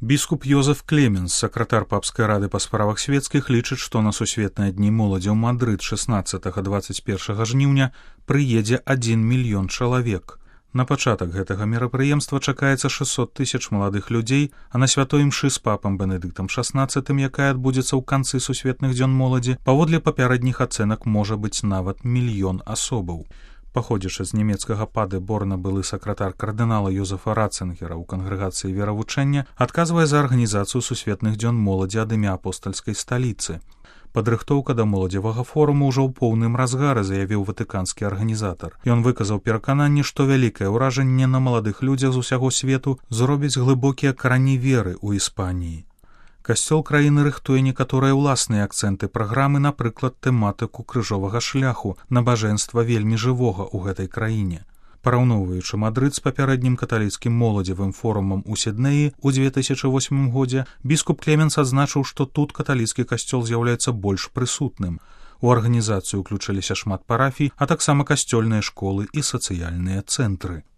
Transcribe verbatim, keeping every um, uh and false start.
Біскуп Йозеф Клеменс, сакратар папскай рады па справах светскіх, лічыць, што на сусветныя дні моладзі ў Мадрыд шаснаццатага — дваццаць першага жніўня прыедзе адзін мільён чалавек. На пачатак гэтага мерапрыемства чакаецца шэсцьсот тысяч маладых людзей, а на святой імшы з папам Бенедыктам шаснаццатым, якая адбудзецца ў канцы сусветных дзён моладзі, паводле папярэдніх ацэнак можа быць нават мільён асобаў. Паходзячы з нямецкага Падэборна, былы сакратар кардынала Йозефа Ратцингера ў кангрэгацыі веравучэння, адказвае за арганізацыю сусветных дзён моладзі ад імя апостальскай сталіцы. Падрыхтоўка да моладзевага форуму ўжо ў поўным разгары, заявіў ватыканскі арганізатар. Ён выказаў перакананне, што вялікае ўражанне на маладых людзях з усяго свету зробяць глыбокія карані веры ў Іспаніі. Касцёл краіны рыхтуе некаторыя ўласныя акцэнты праграмы, напрыклад, тэматыку крыжовага шляху, набажэнства вельмі жывога ў гэтай краіне. Параўноўваючы Мадрыд з папярэднім каталіцкім моладзевым форумам у Сіднеі ў дзве тысячы восьмым годзе, біскуп Клеменс адзначыў, што тут каталіцкі касцёл з'яўляецца больш прысутным. У арганізацыю ўключыліся шмат парафій, а таксама касцёльныя школы і сацыяльныя цэнтры.